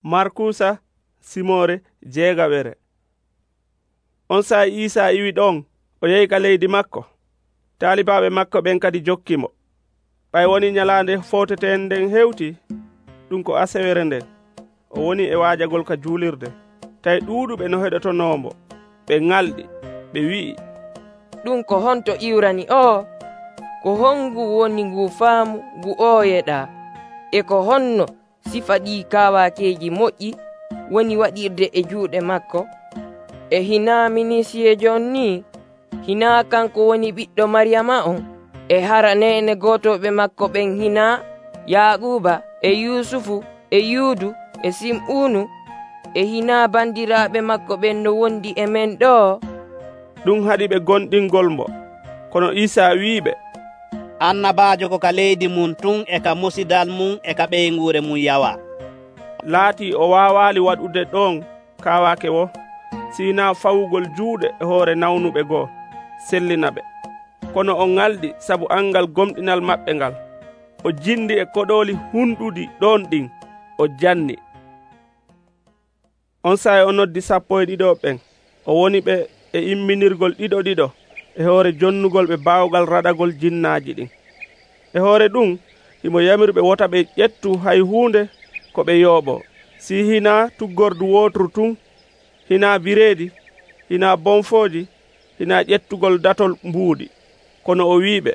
Markusa Simore jeegaɓere. On saa Iisa iwi ɗon o yehi ka leydi makko. Taalibaaɓe makko ɓen kadi jokkimo. Ɓay woni nyalaande fowteten nden hewti, ɗum ko asewere nden, o woni e waajagol ka juulirde. Tawi ɗuuɗuɓe no heɗotonoomo, ɓe ŋalɗi, ɓe wi'i, ɗum ko honto iwrani o? Ko hongu woni ngu faamu ngu o yeɗaa? E ko honno sifa ɗi kaawakeeji moƴƴi woni waɗirde e juuɗe makko? E hinaa minisiyejo on ni? Hinaa kanko woni ɓiɗɗo Maryama on? E haraneene gootoɓe makko ɓen hinaa Yaaquba e Yusufu e Yuudu e Sim'uunu? E hinaa bandiraaɓe makko ɓen no wondi e men ɗo? Ɗum haɗi ɓe gonɗingol mo. Kono Iisa wi'iɓe, annabaajo ko ka leydi mum tun e ka musidal mum e ka ɓeyngure mum yawa. Laatii o waawaali waɗude ɗon kaawaake wo, siinaa fawugol juuɗe e hoore nawnuɓe goo sellina ɓe. Kono o ŋalɗi sabu angal gomɗinal maɓɓe ngal. O jindi e koɗooli hunɗuɗi ɗon ɗin, o janni. On saa o noddi 12 ɓen. O woni ɓe e imminirgol ɗiɗo e hoore jonnugol ɓe baawgal raɗagol jinnaaji ɗin. E hoore ɗum himo yamirɓe wota ɓe ƴettu hay huunde ko ɓe yooɓo. Si hinaa tuggordu wootru tun, hinaa bireedi, hinaa bonfooji, hinaa ƴettugol datol mbuuɗi. Kono o wi'iɓe,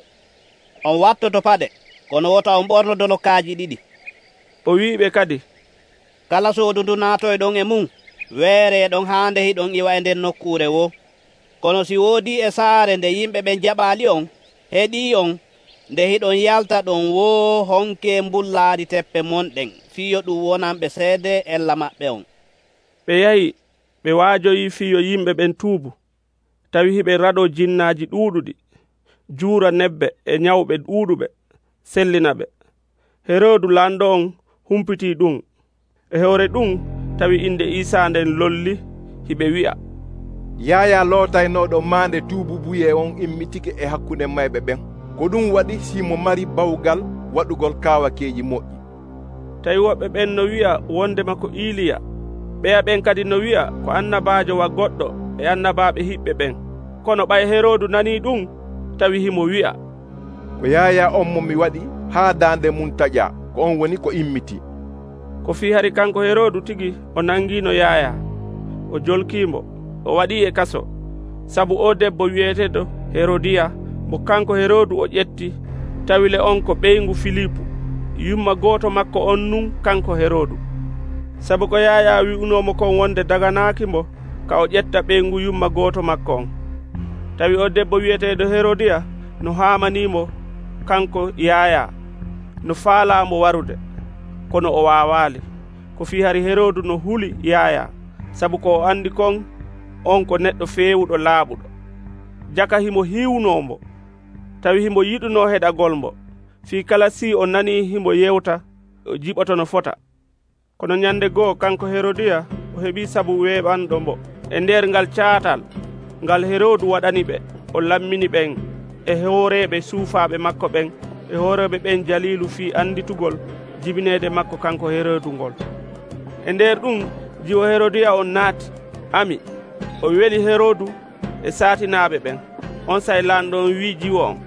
on wattoto paɗe, kono wota on ɓorno dolokaaji 2. O wi'iɓe kadi, kala soodu ndu naatoyɗon e mum, weereeɗon haa nde hiɗon iwa e nden nokkuure wo. Kono si woodi e saare nde yimɓe ɓen jaɓaali on, heɗii on, nde hiɗon yalta ɗon woo honke mbullaari teppe monɗen, fiyo ɗum wonanɓe seede ella maɓɓe on. Ɓe yahi ɓe waajoyi fiyo yimɓe ɓen tuubu, tawi hiɓe raɗo jinnaaji ɗuuɗuɗi, juura nebbe e nyawɓe ɗuuɗuɓe, sellina ɓe. Heroodu laamɗo on humpitii ɗum. E hoore ɗum tawi inde Iisa nden lolli, hiɓe wi'a, Yaaya lootaynooɗo maande tuububuye on immitike e hakkunde mayɓe ɓen. Ko ɗum waɗi simo mari bawgal waɗugol kaawakeeji moƴƴi. Tawi woɓɓe ɓen no wi'a wondema ko Iiliya, ɓeya ɓen kadi no wi'a ko annabaajo wa goɗɗo e annabaaɓe hiɓɓe ɓen. Kono ɓay Heroodu nanii ɗum, tawi himo wi'a, ko Yaaya on mo mi waɗi haa daande mum taƴaa, ko on woni ko immitii. Ko fii hari kanko Heroodu tigi o nangiino Yaaya, o jolkiimo, o waɗii e kaso, sabu o debbo wiyeteeɗo Herodiya mo kanko Heroodu o ƴetti, tawile on ko ɓeyngu Filipu, yumma gooto makko on nun kanko Heroodu. Sabu ko Yaaya wi'unoomo kon wonde daganaakimo ka o ƴetta ɓeyngu yumma gooto makko on. Tawi o debbo wiyeteeɗo Herodiya no haamaniimo kanko Yaaya, no faalaamo warude, kono o waawaali. Ko fii hari Heroodu no huli Yaaya, sabu ko o andi kon on ko neɗɗo feewuɗo laaɓuɗo. Jaka himo hiwnoomo, tawi himo yiɗunoo heɗagol mo, fii kala si o nanii himo yewta, o jiɓoto no fota. Kono nyande goo kanko Herodiya o heɓii sabu weeɓanɗo mo. E nder ngal caatal ngal Heroodu waɗani ɓe, o lammini ɓen e hooreeɓe suufaaɓe makko ɓen e hooreeɓe ɓen jaliilu fii anditugol jibineede makko kanko Heroodu ngol. E nder ɗum jiwo Herodiya on naati, ami, o weli Heroodu e saatinaaɓe ɓen. On say laamɗo on wii jiwo on,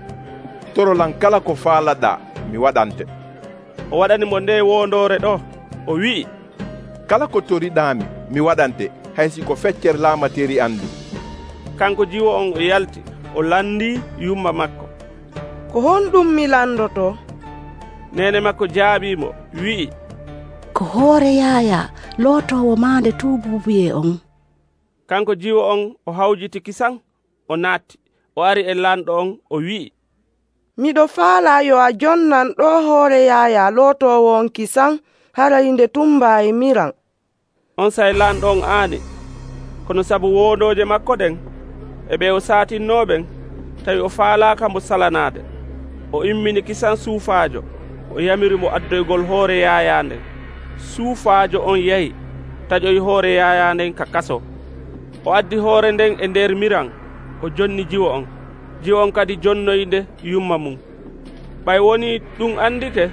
torolan kala ko faalaɗaa mi waɗante. O waɗani mo nde wondoore ɗo, o wi'i, kala ko toriɗaami mi waɗante, haysi ko feccere laamateri andu. Kanko jiwo on o yalti, o landii yumma makko. Ko honɗum mi landoto? Nene makko jaabiimo, wi'i, ko hoore Yaaya lootowo maande tuububuye on. Kanko jiwo on o hawjiti kisan, o naatti, o ari e laamɗo on, o wi'i, miɗo faala yo a jonnan ɗo hoore Yaaya lootowo on kisan harayinde tumbaayi miran. On say laamɗo on aani, kono sabu wondooje makko ɗen e ɓe o saatinnooɓen, tawi o faalaaka mo salanaade, o immini kisan suufaajo, o yamiri mo addoygol hoore Yaaya nden. Suufaajo on yahi taƴoyi hoore Yaaya nden ka kaso. O addi hoore nden e nder miran, o jonni jiwo on. Jiwo on kadi jonnoyde yumma mum. Ɓay woni ɗum andike,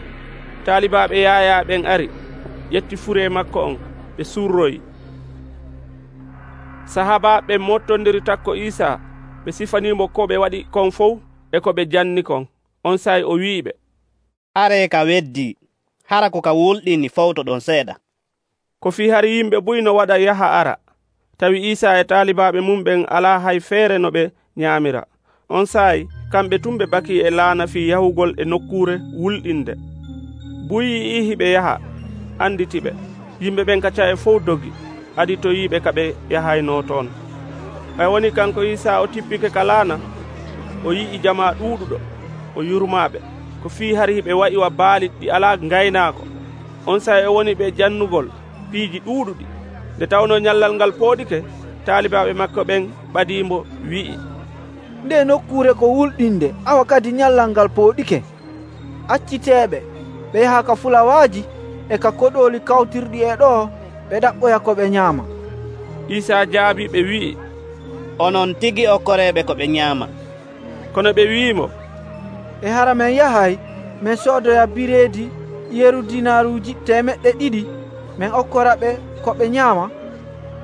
taalibaaɓe Yaaya ɓen ari, ƴetti fure makko on, ɓe surroyi. Sahabaaɓe mottondiri takko Isa ɓe sifanimo ko ɓe waɗi kon fof e ko ɓe janni kon. On saayi o wi'iɓe, are ka weddi hara ko ka wulɗini fawto ɗon seeɗa. Ko fii hari yimɓe buy no waɗa yaha ara, tawi Isa e taalibaaɓe mum ɓen alaa hay feere no ɓe nyaamira. On saayi kamɓe tum ɓe baki e laana fii yahugol e nokkuure wulɗinde. Buy yi'i hiɓe yaha, anditiɓe. Yimɓe ɓen kacca e fof dogi, aditoyiiɓe ka ɓe yahayno toon. Ɓay woni kanko Isa o tippike ka laana, o yi'i jamaa ɗuuɗuɗo, o yurmaaɓe. Ko fii hari hiɓe wa'iwa baali ɗi alaa ngaynaako. On saayi o woni ɓe jannugol piiji ɗuuɗuɗi. Nde tawno nyallal ngal pooɗike, taalibaaɓe makko ɓen ɓadiimo wi'i, nde nokkuure ko wulɗinde awa kadi nyallal ngal pooɗike. Acciteeɓe ɓe yaha ka fulawaaji e ka koɗooli kawtirɗi e ɗo ɓe ɗaɓɓoya ko ɓe nyaama. Isa jaabi ɓe wi'i, onon tigi okkoreeɓe ko ɓe nyaama. Kono ɓe wi'imo, e hara men yahay min soodoya bireedi yeru dinaaruuji 200 min okkora ɓe ko ɓe nyaama.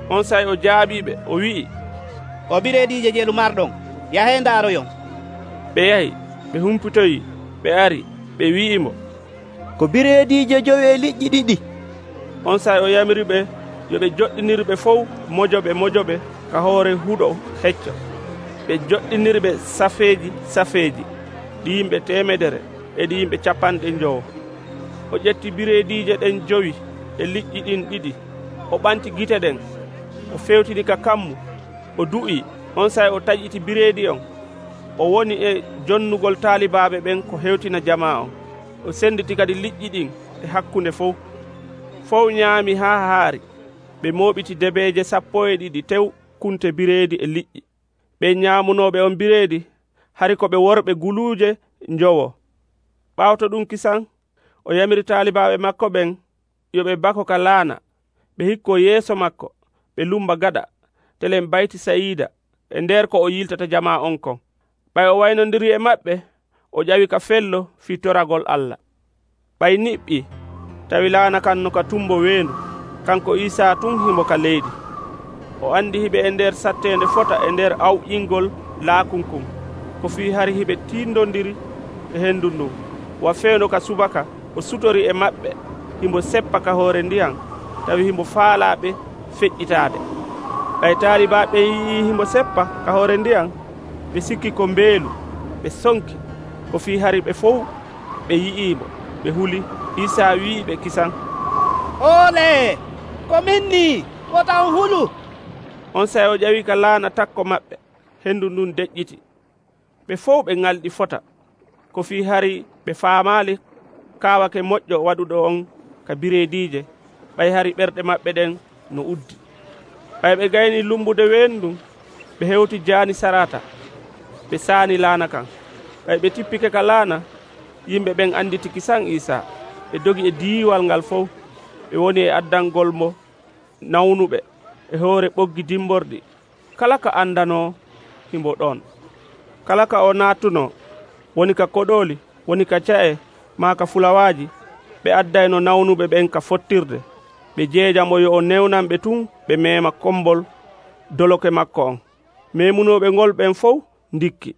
On saayi o jaabiɓe o wi'i, o bireediije jelu marɗon, yahee ndaaroyon. ɓe yahi, ɓe humpitoyi, ɓe ari, ɓe wi'imo, ko bireediije 9 liƴƴi 2. On saayi o yamiriɓe yo ɓe joɗɗinirɓe fof mojoɓe ka hoore huɗo hecco. Ɓe joɗɗinirɓe safeeji ɗi yimɓe 100 e ɗi yimɓe 50. O ƴetti bireediije ɗen 5 e liƴƴi ɗin 2, o ɓanti gite ɗen, o fewtini ka kammu, o du'i. On saayi o taƴiti bireedi on, o woni e jonnugol taalibaaɓe ɓen ko hewtina jamaa on. O senditi kadi liƴƴi ɗin e hakkunde fof nyaami haa haari. Ɓe mooɓiti debeeje 12 tew kunte bireedi e liƴƴi. Ɓe nyaamunooɓe on bireedi hari ko ɓe worɓe guluuje njowo. Ɓaawto ɗum kisan, o yamiri taalibaaɓe makko ɓen yo ɓe bako ka laana. Ɓe hikko yeeso makko, ɓe lumba gaɗa, telen bayti sayiida e nder ko o yiltata jamaa on kon. Ɓay o waynondiri e maɓɓe, o ƴawi ka fello fii toragol Allah. Ɓay niɓɓi, tawi laana kan no ka tumbo weendu, kanko Isa tun himo ka leydi. O andi hiɓe e nder sattende fota e nder awƴingol laakunkun. Ko fii hari hiɓe tindondiri e hendu ndun. Wa feewno ka subaka, o sutori e maɓɓe, himbo seppa ka hoore ndiyan, tawi himbo faalaaɓe feƴƴitaade. Ɓay taalibaaɓe yii himbo seppa ka hoore ndiyan, ɓe sikki ko mbeelu, ɓe sonki. Ko fii hari ɓe fof ɓe yi'iimo, ɓe huli. Isa wi'iɓe kisan, ole ko minni wota on hulu. On saayi o ƴawi ka laana takko maɓɓe, hendu ndun deƴƴiti. Ɓe fof ɓe ngalɗi fota. Ko fii hari ɓe faamaali kaawake moƴƴo waɗuɗo on ka bireediije. Ɓay hari ɓerɗe maɓɓe ɗen no uddi. Ɓay ɓe gayni lumbude weendun, ɓe hewti jaani sarata, ɓe saani laana kan. Ɓay ɓe tippike ka laana, yimɓe ɓen anditi kisan Isa. Ɓe dogi e diiwal ngal fof, ɓe woni e addangol mo nawnuɓe e hoore ɓoggi dimborɗi. Kala ka andanoo himbo ɗon. Kala ka o naatuno, woni ka koɗooli, woni ka ca'e, maa ka fulawaaji, ɓe addayno nawnuɓe ɓen ka fottirde. Ɓe jeejamo yo o newnanɓe tun ɓe meema kombol doloke makko on. Meemunooɓe ngol ɓen fof ndikki.